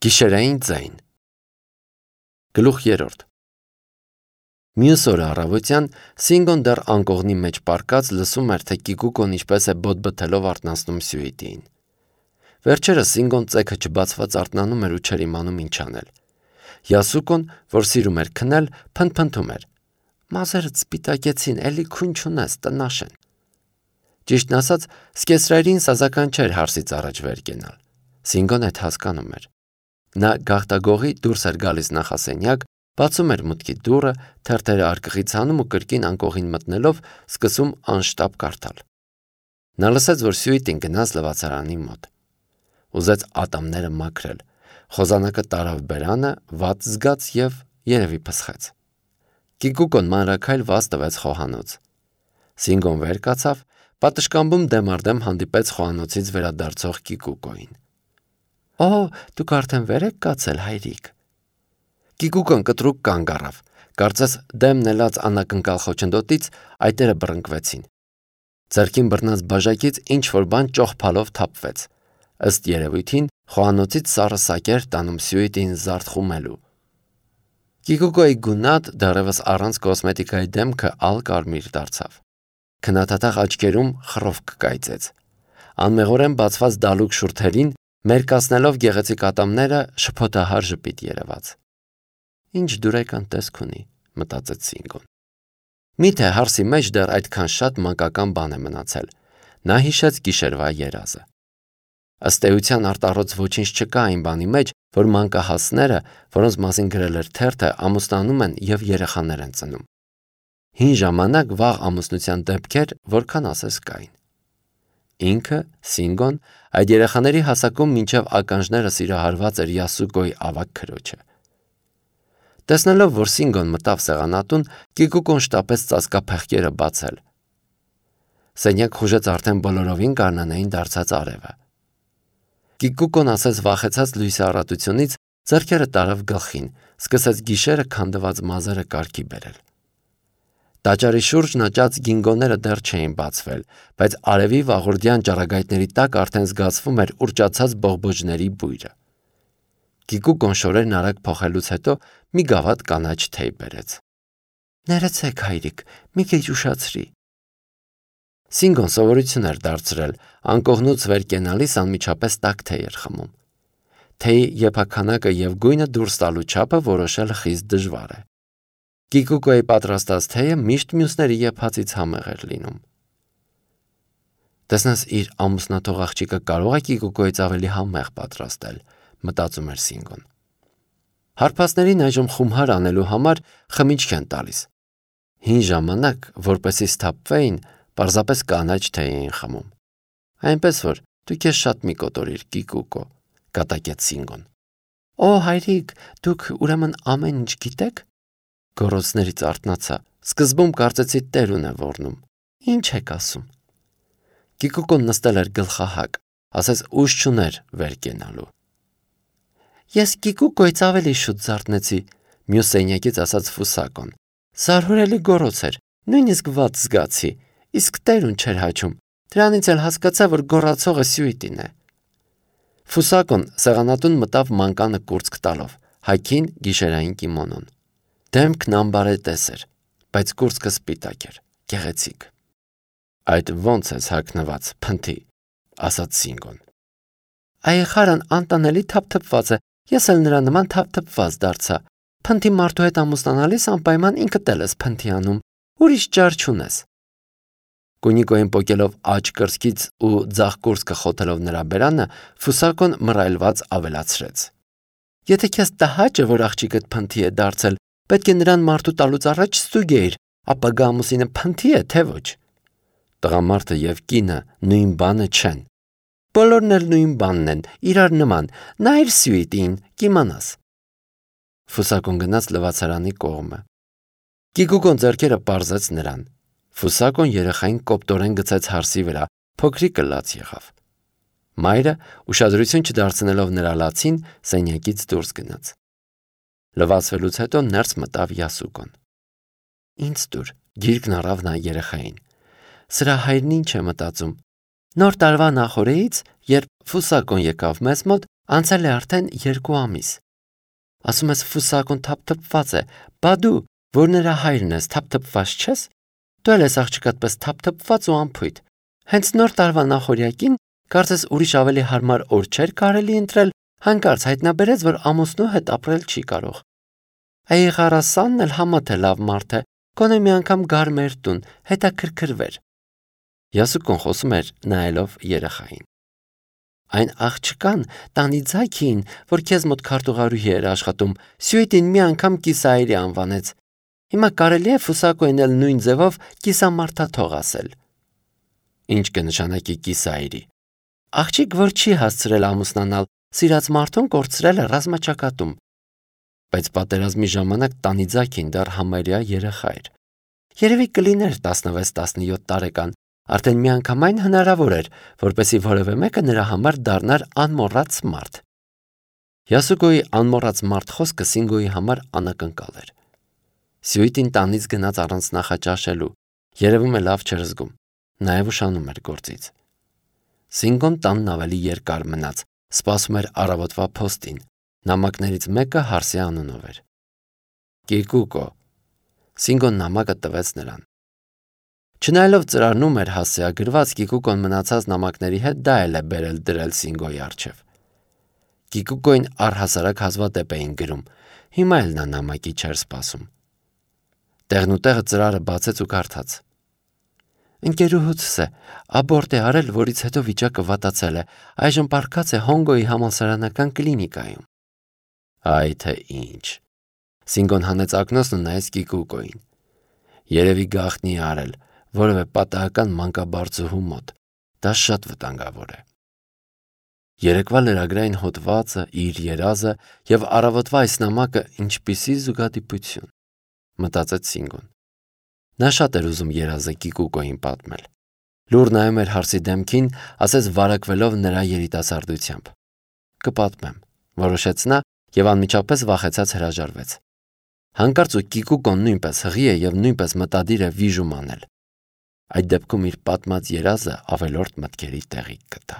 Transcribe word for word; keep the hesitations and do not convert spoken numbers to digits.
Գիշերային ձայն Գլուխ երրորդ Մյուս օրը առավոտյան Սինգոն դեռ անկողնի մեջ պառկած լսում էր, թե Կիկուկոն ինչպես է բոտ-բթելով արթնացնում Սյուիտիին։ Վերջերս Սինգոն ծեքը չբացված արթնանում էր ու չէր իմանում ինչ անել։ Յասուկոն, որ սիրում էր քնել, փնթփնթում էր. «Մազերդ սպիտակեցին, էլի քուն չունես, տնաշ են»։ Ճիշտն ասած, սկեսրայրին սազական չէր հարսից առաջ վեր կենալ։ Սինգոն այդ հասկանում էր։ Նա գաղտագողի դուրս էր գալիս նախասենյակ, բացում էր մուտքի դուռը, թերթերը արկղից հանում ու կրկին անկողին մտնելով սկսում անշտապ կարդալ։ Նա լսեց, որ Սյուիտին գնաց լվացարանի մոտ։ Ուզեց ատամները մաքրել, խոզանակը տարավ բերանը, վատ զգաց և երևի փսխեց։ Կիկուկոն մանրաքայլ վազ տվեց խոհանոց։ Սինգոն վեր կացավ, պատշգամբում դեմ առ դեմ հանդիպեց խոհանոցից վերադարձող Կիկուկոին։ «Օ, դուք արդեն վեր եք կացել, հայրիկ»։ Կիկուկոն կտրուկ կանգ առավ, կարծես դեմն ելած անակնկալ խոչընդոտից այտերը բռնկվեցին։ Ձեռքին բռնած բաժակից ինչ-որ բան ճոխփալով թափվեց։ Ըստ երևույթին խոհանոցից սառը սակեր տանում Սյուիտին զարդ խումելու։ Կիկուկոյի գունատ, դեռևս առանց կոսմետիկայի դեմքը ալ-կարմիր դարձավ։ Քննադատաղ աչքերում խռովք կայծեց։ Անմեղորեն բացված դալուկ շուրթերին մերկացնելով գեղեցիկ ատամները շփոթահար ժպիտ երևաց։ «Ինչ դուրեկան տեսք ունի», մտածեց Սինգոն։ Միթե հարսի մեջ դեռ այդքան շատ մանկական բան է մնացել։ Նա հիշեց գիշերվա երազը։ Ըստ էության արտառոց ոչինչ չկա այն բանի մեջ, որ մանկահասները, որոնց մասին գրել էր թերթը, ամուսնանում են և երեխաներ են ծնում։ Հին ժամանակ վաղ ամուսնության դեպքեր որքան ասես կային։ Ինքը, Սինգոն, այդ երեխաների հասակում մինչև ականջները սիրահարված էր Յասուկոյի ավագ քրոջը։ Տեսնելով, որ Սինգոն մտավ սեղանատուն, Կիկուկոն շտապեց ծածկափեղկերը բացել։ Սենյակ խուժեց արդեն բոլորովին գարնանային դարձած արևը։ Կիկուկոն ասես վախեցած լույսի առատությունից ձեռքերը տարավ գլխին, սկսեց գիշերը քանդված մազերը կարգի բերել։ Տաճարի շուրջն աճած գինգոները դեռ չէին բացվել, բայց արևի վաղորդյան ճառագայթների տակ արդեն զգացվում էր ուռճացած բողբոջների բույրը։ Կիկուկոն շորերն արագ փոխելուց հետո մի գավաթ կանաչ թեյ բերեց։ «Ներեցեք, հայրիկ, մի քիչ ուշացրի»։ Սինգոն սովորություն էր դարձրել, անկողնուց վեր կենալիս անմիջապես տաք թեյ էր խմում։ Թեյի եփաքանակը և գույնը դուրս տալու չափը որոշելը խիստ դժվար է։ Կիկուկոյի պատրաստած թեյը միշտ մյուսների եփածից համեղ էր լինում։ Տեսնես, իր ամուսնաթող աղջիկը կարող է Կիկուկոյից ավելի համեղ պատրաստել, մտածում էր Սինգոն։ Հարբածներին այժմ խումհար անելու համար խմիչք են տալիս։ Հին ժամանակ, որպեսզի սթափվեին, պարզապես կանաչ թեյ էին խմում։ Այնպես որ դու քեզ շատ մի կոտորիր, Կիկուկո, կատակեց Սինգոն։ «Օ, հայրիկ, դուք ուրեմն ամեն ինչ գիտեք»։ Գոռոցներից արթնացա։ Սկզբում կարծեցի տերուն է ոռնում։ «Ինչ եք ասում»։ Կիկուկոն նստել էր գլխահակ, ասես ուժ չուներ վեր կենալու։ «Ես Կիկուկոյից ավելի շուտ զարթնեցի», մյուս սենյակից ասաց Ֆուսակոն։ «Զարհուրելի գոռոց էր, նույնիսկ վատ զգացի, իսկ տերուն չէր հաչում։ Դրանից էլ հասկացա, որ գոռացողը Սյուիտին է»։ Ֆուսակոն սեղանատուն մտավ մանկանը կուրծք տալով, հագին գիշերային կիմոնոն։ Դեմքն ամբարետես էր, բայց կուրծքը սպիտակ էր, գեղեցիկ։ «Այդ ո՞նց ես հագնված, փնթի», ասաց Սինգոն։ «Այխարն անտանելի թափթփված է, ես էլ նրա նման թափթփված դարձա։ Փնթի մարդու հետ ամուսնանալիս անպայման ինքդ էլ ես փնթի անում, ուրիշ ճար չունես»։ Կունիկոյին պոկելով աջ կրծքից ու ձախ կուրծքը խոթելով նրա բերանը, Ֆուսակոն մռայլված ավելացրեց. «Եթե քեզ տհաճ է, որ աղջիկդ փնթի է դարձել, պետք է նրան մարդու տալուց առաջ ստուգեիր, ապագա ամուսինը փնթի է, թե ոչ»։ Տղամարդը և կինը նույն բանը չեն։ Բոլորն էլ նույն բանն են, իրար նման, նայիր Սյուիտին, կիմանաս։ Ֆուսակոն գնաց լվացարանի կողմը։ Կիկուկոն ձեռքերը պարզեց նրան։ Ֆուսակոն երեխային կոպտորեն գցեց հարսի վրա, փոքրիկը լաց եղավ։ Մայրը, ուշադրություն չդարձնելով նրա լացին, սենյակից դուրս գնաց։ Լվացվելուց հետո ներս մտավ Յասուկոն։ «Ինձ տուր», գիրկն առավ նա երեխային։ «Սրա հայրն ինչ է մտածում»։ Նոր տարվա նախօրեից, երբ Ֆուսակոն եկավ մեզ մոտ, Անցել է արդեն երկու ամիս։ Ասում ես Ֆուսակոն թափթփված է, բա դու, որ նրա հայրն ես, թափթփված չես։ Դու էլ ես աղջկադ պես թափթփված ու անփույթ։ Հենց նոր տարվա նախօրյակին կարծես ուրիշ ավելի հարմար օր չէր կարելի ընտրել, հանկարծ հայտնաբերեց, որ ամուսնու հետ ապրել չի կարող։ Այղարասանն էլ համա թե լավ մարդ է, գոնե մի անգամ գար մեր տուն, հետաքրքրվեր։ Յասուկոն խոսում էր նայելով երեխային։ Այն աղջկան Տանիձակին, որ քեզ մոտ քարտուղարուհի էր աշխատում, Սյուիտին մի անգամ կիսայրի անվանեց։ Հիմա կարելի է Ֆուսակոյին էլ նույն ձևով կիսամարդաթող ասել։ Ինչ կնշանակի կիսայրի։ Աղջիկ, որ չի հասցրել ամուսնանալ, սիրած մարդուն կորցրել է ռազմաճակատում։ Բայց պատերազմի ժամանակ Տանիձակին դեռ համարյա երեխա էր։ Երևի կլիներ տասնվեց տասնյոթ տարեկան, արդեն միանգամայն հնարավոր էր, որպեսզի որևէ մեկը նրա համար դառնար անմոռաց մարդ։ Յասուկոյի անմոռաց մարդ խոսքը Սինգոյի համար անակնկալ էր։ Սյուիտին տանից գնաց առանց նախաճաշելու, երևում է լավ չէր զգում, նաև ուշանում էր գործից։ Սինգոն տանն ավելի երկար մնաց, սպասում էր առավոտվա փոստին, նամակներից մեկը Հարսի անունով էր։ Կիկուկո։ Սինգոն նամակը տվեց նրան։ Չնայելով ծրարնում էր հասցեագրված, Կիկուկոն մնացած նամակների հետ դա էլ է բերել դրել Սինգոյի առջև։ Կիկուկոին առհասարակ հազվադեպ էին գրում, հիմա էլ նա նամակի չէր սպասում։ Տեղնուտեղը ծրարը բացեց ու կարդաց. Ընկերուհուցս է, աբորտ է արել, որից հետո վիճակը վատացել է, այժմ պառկած է Հոնգոյի համալսարանական կլինիկայում։ Այ թե ինչ։ Սինգոն հանեց ակնոցն ու նայեց Կիկուկոին։ Երևի գաղտնի է արել, որևէ պատահական մանկաբարձուհու մոտ։ Դա շատ վտանգավոր է։ Երեկվա լրագրային հոդվածը, իր երազը եւ առավոտվա այս նամակը ինչպիսի զուգադիպություն, մտածեց Սինգոն։ Նա շատ էր ուզում երազը Կիկուկոին պատմել։ Լուր նայում էր Հարսի դեմքին, ասես վարակվելով նրա երիտասարդությամբ։ Կպատմեմ, որոշեց նա եւ անմիջապես վախեցած հրաժարվեց։ Հանկարծ ու Կիկուկոն նույնպես հղի է եւ նույնպես մտադիր է վիժում անել։ Այդ դեպքում իր պատմած երազը ավելորդ մտքերի տեղիք կտա։